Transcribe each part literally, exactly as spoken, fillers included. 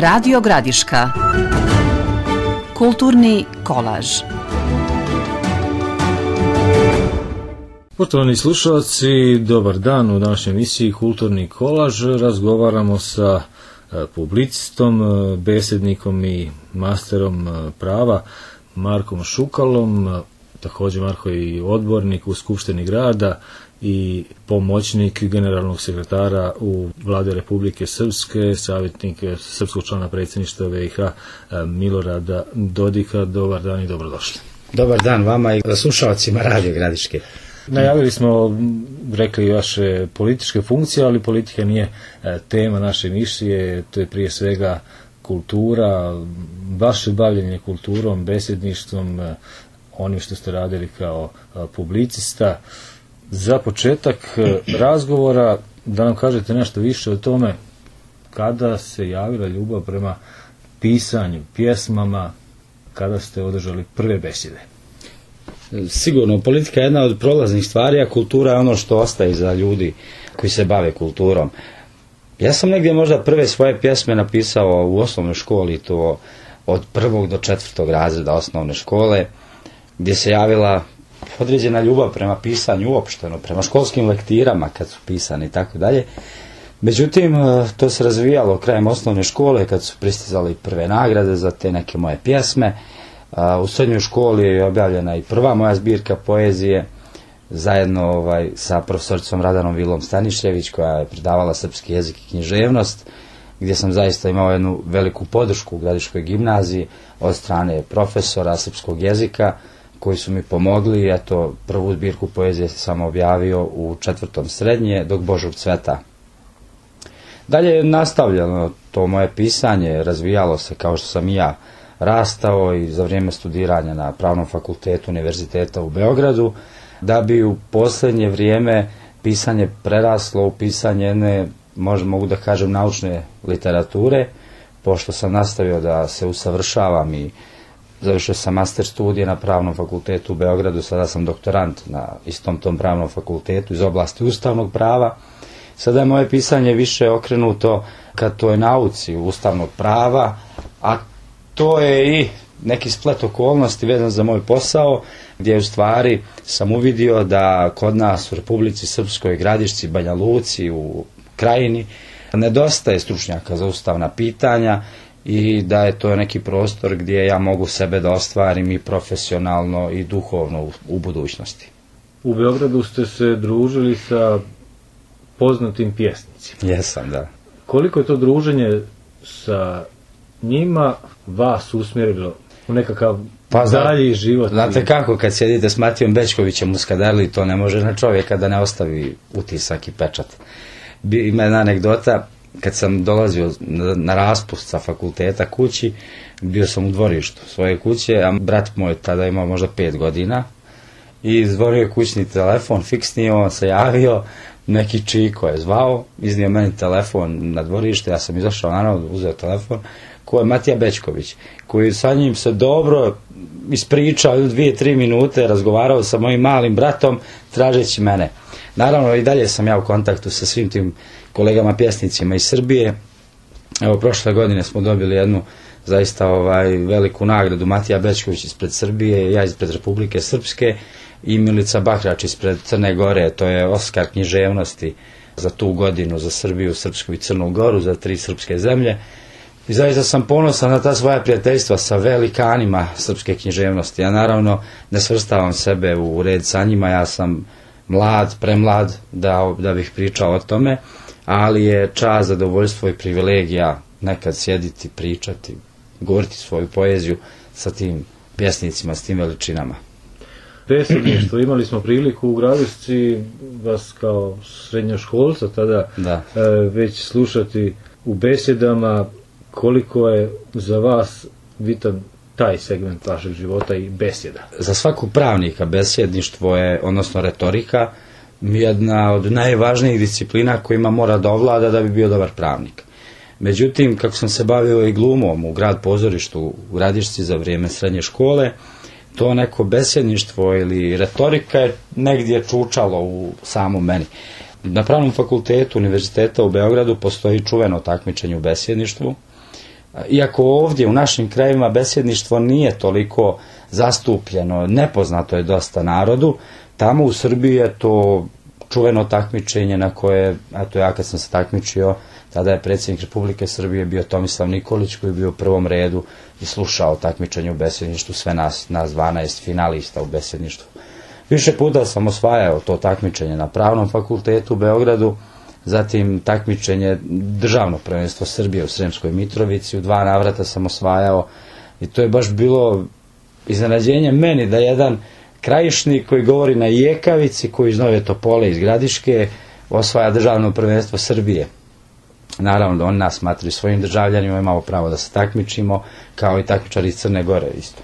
Radio Gradiška. Kulturni kolaž. Poštovani slušalci, dobar dan. U današnjoj emisiji Kulturni kolaž razgovaramo sa publicistom, besednikom i masterom prava Markom Šukalom. Također Marko je i odbornik u Skupštini grada i pomoćnik generalnog sekretara u Vlade Republike Srpske, savjetnik srpskog člana predsjedništva B i H Milorada Dodika. Dobar dan i dobrodošli. Dobar dan vama i slušalcima Radio Gradiške. Najavili smo, rekli, vaše političke funkcije, ali politika nije tema naše emisije, to je prije svega kultura, vaše bavljenje kulturom, besedništvom, onim što ste radili kao publicista. Za početak razgovora da nam kažete nešto više o tome kada se javila ljubav prema pisanju, pjesmama, kada ste održali prve besede. Sigurno, politika je jedna od prolaznih stvari, a kultura je ono što ostaje za ljudi koji se bave kulturom. Ja sam negdje možda prve svoje pjesme napisao u osnovnoj školi, to od prvog do četvrtog razreda osnovne škole, gdje se javila određena ljubav prema pisanju uopšteno, prema školskim lektirama kad su pisani i tako dalje. Međutim, to se razvijalo krajem osnovne škole kad su pristizali prve nagrade za te neke moje pjesme. U srednjoj školi je objavljena i prva moja zbirka poezije zajedno ovaj, sa profesoricom Radanom Vilom Stanišljević, koja je predavala srpski jezik i književnost, gdje sam zaista imao jednu veliku podršku u Gradiškoj gimnaziji od strane profesora srpskog jezika koji su mi pomogli. Eto, prvu zbirku poezije sam objavio u četvrtom srednje, Dok Božog cveta. Dalje je nastavljeno to moje pisanje, razvijalo se kao što sam i ja rastao i za vrijeme studiranja na Pravnom fakultetu Univerziteta u Beogradu, da bi u posljednje vrijeme pisanje preraslo u pisanje jedne, možda mogu da kažem, naučne literature, pošto sam nastavio da se usavršavam i završio sam master studije na Pravnom fakultetu u Beogradu, sada sam doktorant na istom tom Pravnom fakultetu iz oblasti ustavnog prava. Sada je moje pisanje više okrenuto ka toj nauci ustavnog prava, a to je i neki splet okolnosti vezan za moj posao, gdje u stvari sam uvidio da kod nas u Republici Srpskoj, Gradišci, Banja Luci, u Krajini, nedostaje stručnjaka za ustavna pitanja i da je to neki prostor gdje ja mogu sebe da ostvarim i profesionalno i duhovno u, u budućnosti. U Beogradu ste se družili sa poznatim pjesnicima. Jesam, da. Koliko je to druženje sa njima vas usmjerilo u nekakav pa, dalji život? Znate kako, kad sjedite s Matijom Bećkovićem u Skadarli, to ne može na čovjeka da ne ostavi utisak i pečat. Ima jedna anegdota, kad sam dolazio na, na raspust sa fakulteta kući, bio sam u dvorištu svoje kuće, a brat moj tada imao možda pet godina i zvonio je kućni telefon, fiksni, on se javio, neki Čiko je zvao, iznio meni telefon na dvorište, ja sam izašao naravno, uzeo telefon, ko je Matija Bećković, koji sa njim se dobro ispričao dvije, tri minute, razgovarao sa mojim malim bratom, tražeći mene. Naravno i dalje sam ja u kontaktu sa svim tim kolegama pjesnicima iz Srbije. Evo, prošle godine smo dobili jednu zaista ovaj, veliku nagradu, Matija Bećković ispred Srbije, ja ispred Republike Srpske i Milica Bakrač ispred Crne Gore, to je Oskar književnosti za tu godinu, za Srbiju, Srpsku i Crnu Goru, za tri srpske zemlje. I zaista sam ponosan na ta svoja prijateljstva sa velikanima srpske književnosti. Ja naravno ne svrstavam sebe u red sa njima, ja sam mlad, premlad da, da bih pričao o tome, ali je čast, zadovoljstvo i privilegija nekad sjediti, pričati, govoriti svoju poeziju sa tim pjesnicima, s tim veličinama. Besedništvo, imali smo priliku u Gradišci vas kao srednjoškolca tada da. e, već slušati u besedama. Koliko je za vas bitan taj segment vašeg života i besjeda? Za svakog pravnika besjedništvo je, odnosno retorika, jedna od najvažnijih disciplina kojima mora da ovlada da bi bio dobar pravnik. Međutim, kako sam se bavio i glumom u grad pozorištu u Gradišci za vrijeme srednje škole, to neko besjedništvo ili retorika je negdje čučalo u samom meni. Na Pravnom fakultetu Univerziteta u Beogradu postoji čuveno takmičenje u besjedništvu, Iako ovdje u našim krajevima besjedništvo nije toliko zastupljeno, nepoznato je dosta narodu, tamo u Srbiji je to čuveno takmičenje na koje, eto ja kad sam se takmičio, tada je predsjednik Republike Srbije bio Tomislav Nikolić koji je bio u prvom redu i slušao takmičenje u besjedništvu, sve nas, nas dvanaest finalista u besjedništvu. Više puta sam osvajao to takmičenje na Pravnom fakultetu u Beogradu, zatim takmičenje državno prvenstvo Srbije u Sremskoj Mitrovici, u dva navrata sam osvajao i to je baš bilo iznenađenje meni da jedan krajišnik koji govori na jekavici, koji iz Nove Topole, iz Gradiške, osvaja državno prvenstvo Srbije. Naravno da oni nas smatraju svojim državljanima, imamo pravo da se takmičimo, kao i takmičari iz Crne Gore isto.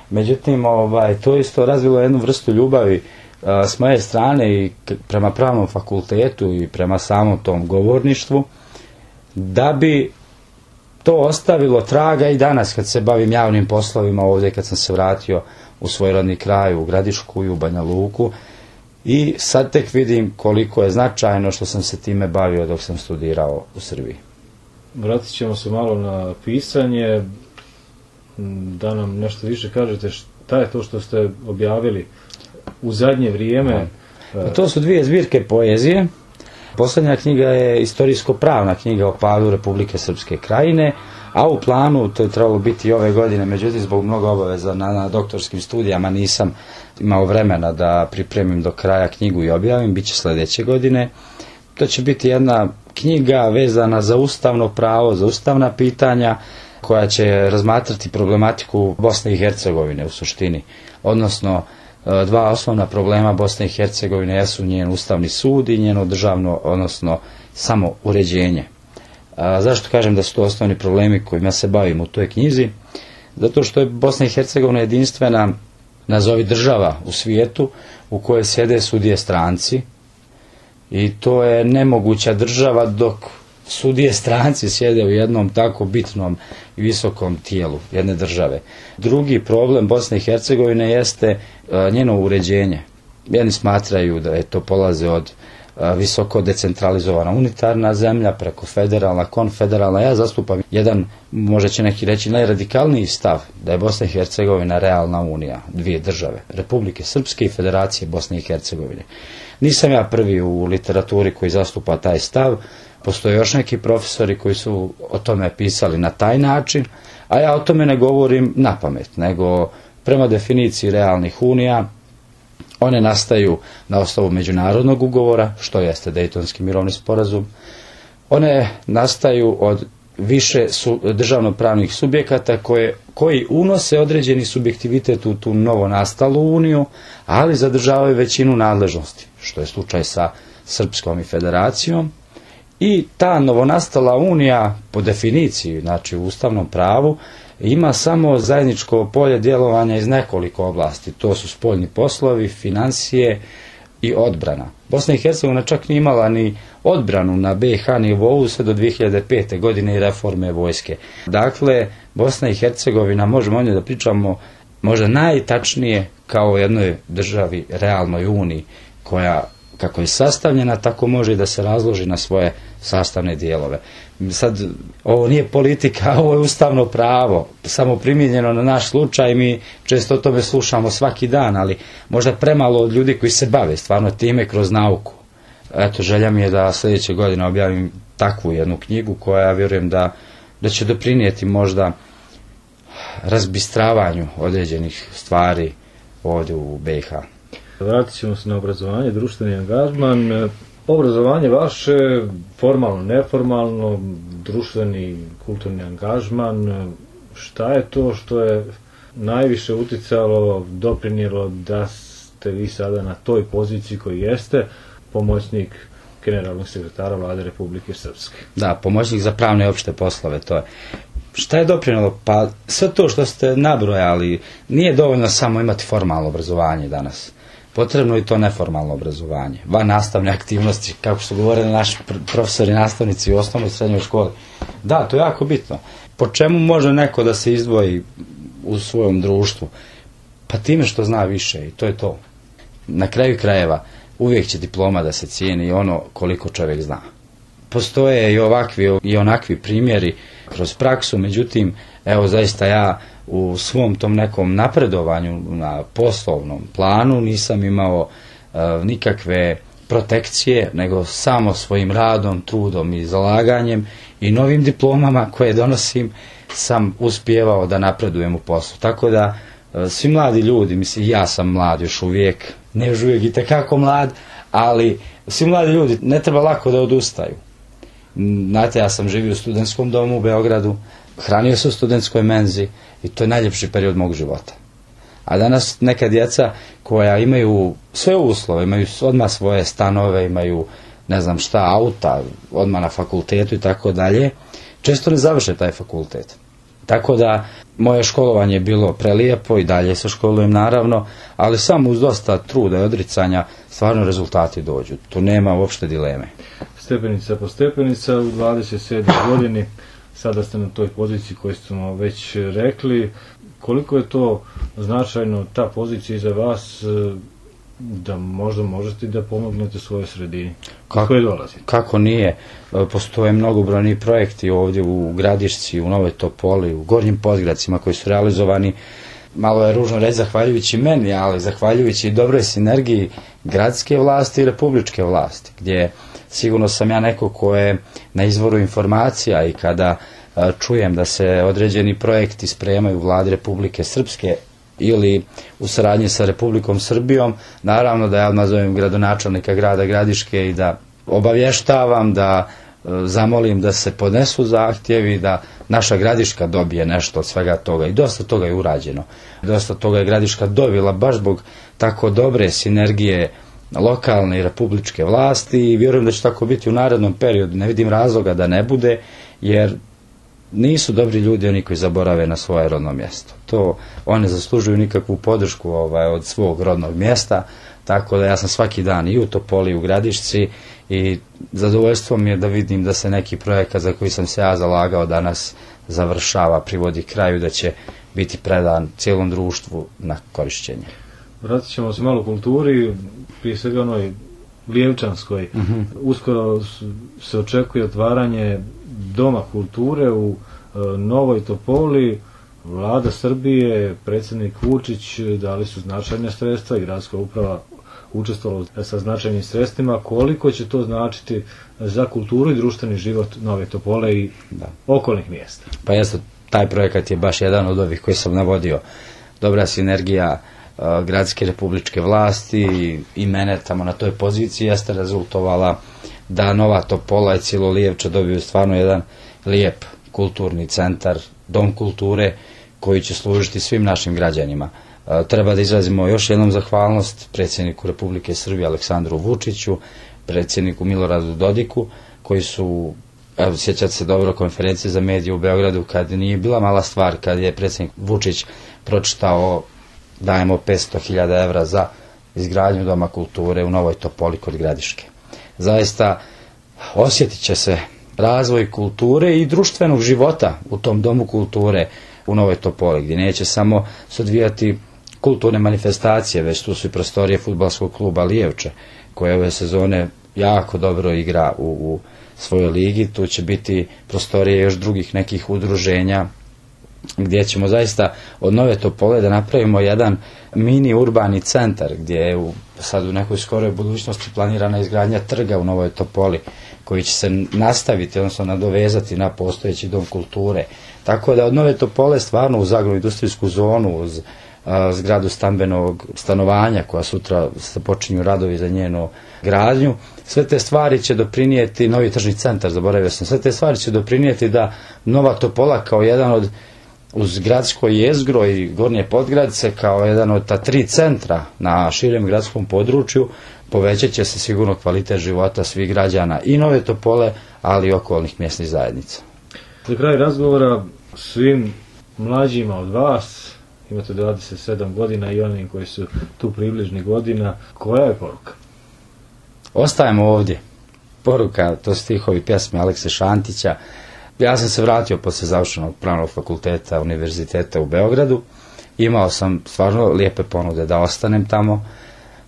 Međutim, ovaj, to isto razvilo jednu vrstu ljubavi uh, s moje strane i prema Pravnom fakultetu i prema samom tom govorništvu, da bi to ostavilo traga i danas kad se bavim javnim poslovima ovdje, kad sam se vratio u svoj rodni kraj, u Gradišku i u Banja Luku, i sad tek vidim koliko je značajno što sam se time bavio dok sam studirao u Srbiji. Vratit ćemo se malo na pisanje, da nam nešto više kažete šta je to što ste objavili u zadnje vrijeme. Pa to su dvije zbirke poezije. Posljednja knjiga je istorijsko-pravna knjiga o padu Republike Srpske Krajine, a u planu, to je trebalo biti ove godine, međutim zbog mnogo obaveza na, na doktorskim studijama nisam imao vremena da pripremim do kraja knjigu i objavim, bit će sljedeće godine. To će biti jedna knjiga vezana za ustavno pravo, za ustavna pitanja, koja će razmatrati problematiku Bosne i Hercegovine u suštini, odnosno dva osnovna problema Bosne i Hercegovine jesu njen ustavni sud i njeno državno, odnosno samo uređenje. A zašto kažem da su to osnovni problemi kojima se bavim u toj knjizi? Zato što je Bosna i Hercegovina jedinstvena, nazovi država u svijetu, u kojoj sjede sudije stranci, i to je nemoguća država dok sudije stranci sjede u jednom tako bitnom i visokom tijelu jedne države. Drugi problem Bosne i Hercegovine jeste njeno uređenje. Jedni smatraju da je to polaze od visoko decentralizovana unitarna zemlja preko federalna, konfederalna. Ja zastupam jedan, možda će neki reći, najradikalniji stav da je Bosna i Hercegovina realna unija, dvije države, Republike Srpske i Federacije Bosne i Hercegovine. Nisam ja prvi u literaturi koji zastupa taj stav, postoje još neki profesori koji su o tome pisali na taj način, a ja o tome ne govorim na pamet, nego prema definiciji realnih unija, one nastaju na osnovu međunarodnog ugovora, što jeste Dejtonski mirovni sporazum. One nastaju od više su državnopravnih subjekata koje, koji unose određeni subjektivitet u tu novo nastalu uniju, ali zadržavaju većinu nadležnosti, što je slučaj sa Srpskom i Federacijom. I ta novonastala unija, po definiciji, znači u ustavnom pravu, ima samo zajedničko polje djelovanja iz nekoliko oblasti. To su spoljni poslovi, financije i odbrana. Bosna i Hercegovina čak nije imala ni odbranu na be i ha nivou sve do dvije hiljade pete. godine i reforme vojske. Dakle, Bosna i Hercegovina, možemo o njoj da pričamo možda najtačnije kao o jednoj državi, realnoj uniji, koja kako je sastavljena, tako može i da se razloži na svoje sastavne dijelove. Sad, ovo nije politika, ovo je ustavno pravo, samo primijenjeno na naš slučaj, mi često o tome slušamo svaki dan, ali možda premalo od ljudi koji se bave stvarno time kroz nauku. Eto, želja mi je da sljedeće godine objavim takvu jednu knjigu koja, ja vjerujem da, da će doprinijeti možda razbistravanju određenih stvari ovdje u be i ha. Vratit ćemo se na obrazovanje, društveni angažman. Obrazovanje vaše, formalno, neformalno, društveni, kulturni angažman, šta je to što je najviše uticalo, doprinijelo da ste vi sada na toj poziciji koji jeste, pomoćnik generalnog sekretara Vlade Republike Srpske? Da, pomoćnik za pravne i opšte poslove, to je. Šta je doprinijelo? Pa sve to što ste nabrojali, nije dovoljno samo imati formalno obrazovanje danas. Potrebno je to neformalno obrazovanje, van nastavne aktivnosti, kako su govorili naši profesori i nastavnici u osnovnoj i srednjoj školi. Da, to je jako bitno. Po čemu može neko da se izdvoji u svojom društvu? Pa time što zna više, i to je to. Na kraju krajeva uvijek će diploma da se cijeni ono koliko čovjek zna. Postoje i ovakvi i onakvi primjeri kroz praksu, međutim, evo zaista ja u svom tom nekom napredovanju na poslovnom planu nisam imao e, nikakve protekcije, nego samo svojim radom, trudom i zalaganjem i novim diplomama koje donosim sam uspijevao da napredujem u poslu. Tako da e, svi mladi ljudi, mislim ja sam mlad još uvijek, ne još uvijek i tekako mlad, ali svi mladi ljudi ne treba lako da odustaju. Znate, ja sam živio u studentskom domu u Beogradu, hranio se u studentskoj menzi i to je najljepši period mog života. A danas neka djeca koja imaju sve uslove, imaju odmah svoje stanove, imaju ne znam šta, auta, odmah na fakultetu i tako dalje, često ne završe taj fakultet. Tako da moje školovanje je bilo prelijepo i dalje se školujem naravno, ali samo uz dosta truda i odricanja stvarno rezultati dođu. Tu nema uopšte dileme. Stepenica po stepenica u dvadeset sedmoj godini, sada ste na toj poziciji koju smo već rekli. Koliko je to značajno, ta pozicija za vas, da možda možete da pomognete svojoj sredini kako, koje dolazite? Kako nije? Postoje mnogobrojni projekti ovdje u Gradišci, u Novoj Topoli, u Gornjim Podgradcima koji su realizovani, malo je ružno reći zahvaljujući meni, ali zahvaljujući dobroj sinergiji gradske vlasti i republičke vlasti, gdje sigurno sam ja neko ko je na izvoru informacija i kada a, čujem da se određeni projekti spremaju u vladi Republike Srpske ili u saradnji sa Republikom Srbijom, naravno da ja odmah zovem gradonačelnika grada Gradiške i da obavještavam, da e, zamolim da se podnesu zahtjevi, da naša Gradiška dobije nešto od svega toga i dosta toga je urađeno. Dosta toga je Gradiška dobila baš zbog tako dobre sinergije lokalne i republičke vlasti i vjerujem da će tako biti u narednom periodu. Ne vidim razloga da ne bude, jer nisu dobri ljudi oni koji zaborave na svoje rodno mjesto. To one zaslužuju nikakvu podršku ovaj, od svog rodnog mjesta, tako da ja sam svaki dan i u Topoli i u Gradišci i zadovoljstvo mi je da vidim da se neki projekat za koji sam se ja zalagao danas završava, privodi kraju, da će biti predan cijelom društvu na korišćenje. Vratit ćemo se malo kulturi, prije svega onoj lijevčanskoj. Uh-huh. Uskoro se očekuje otvaranje Doma kulture u e, Novoj Topoli. Vlada Srbije, predsjednik Vučić dali su značajne sredstva i gradska uprava učestvovala sa značajnim sredstvima. Koliko će to značiti za kulturu i društveni život Nove Topole i da. okolnih mjesta? Pa jeste, taj projekat je baš jedan od ovih koji sam navodio. Dobra sinergija uh, gradske republičke vlasti i, i mene tamo na toj poziciji jeste rezultovala da Nova Topola i cijelo Lijevče dobiju stvarno jedan lijep kulturni centar, dom kulture koji će služiti svim našim građanima. E, treba da izrazimo još jednom zahvalnost predsjedniku Republike Srbije Aleksandru Vučiću, predsjedniku Miloradu Dodiku, koji su, evo, sjećate se dobro konferencije za medije u Beogradu, kad nije bila mala stvar, kad je predsjednik Vučić pročitao dajemo petsto hiljada evra za izgradnju Doma kulture u Novoj Topoli kod Gradiške. Zaista osjetit će se razvoj kulture i društvenog života u tom Domu kulture u Novoj Topoli, gdje neće samo se odvijati kulturne manifestacije, već tu su i prostorije fudbalskog kluba Lijevče, koje ove sezone jako dobro igra u, u svojoj ligi. Tu će biti prostorije još drugih nekih udruženja, gdje ćemo zaista od Nove Topole da napravimo jedan mini urbani centar, gdje je u, sad u nekoj skoroj budućnosti planirana izgradnja trga u Novoj Topoli, koji će se nastaviti, odnosno nadovezati na postojeći dom kulture. Tako da od Nove Topole stvarno uz agro-industrijsku zonu, uz a, zgradu stambenog stanovanja koja sutra se počinju radovi za njenu gradnju, sve te stvari će doprinijeti, novi tržni centar, zaboravio sam, sve te stvari će doprinijeti da Nova Topola kao jedan od, uz gradsko jezgro i Gornje Podgradce, kao jedan od ta tri centra na širem gradskom području, povećat će se sigurno kvalitet života svih građana i Nove Topole, ali i okolnih mjesnih zajednica. Za kraj razgovora svim mlađima od vas, imate dvadeset sedam godina i onim koji su tu približni godina, koja je poruka? Ostajemo ovdje. Poruka, to stihovi pjesme Alekse Šantića. Ja sam se vratio posle završenog pravnog fakulteta univerziteta u Beogradu. Imao sam stvarno lijepe ponude da ostanem tamo,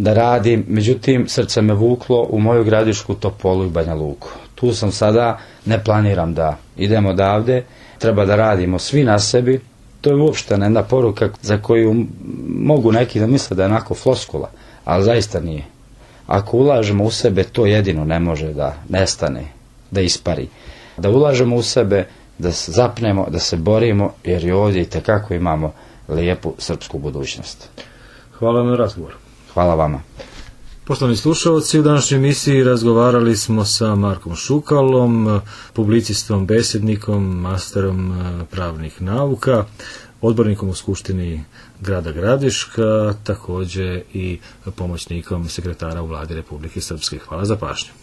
da radim, međutim srce me vuklo u moju Gradišku, Topolu i Banja Luku. Tu sam sada, ne planiram da idem odavde, treba da radimo svi na sebi. To je uopšte jedna poruka za koju mogu neki da misle da je onako floskula, ali zaista nije. Ako ulažemo u sebe, to jedino ne može da nestane, da ispari. Da ulažemo u sebe, da se zapnemo, da se borimo, jer i ovdje itekako imamo lijepu srpsku budućnost. Hvala na razgovor. Hvala vama. Poštovani slušalci, u današnjoj emisiji razgovarali smo sa Markom Šukalom, publicistom, besednikom, masterom pravnih nauka, odbornikom u Skupštini grada Gradiška, također i pomoćnikom sekretara u Vladi Republike Srpske. Hvala za pažnju.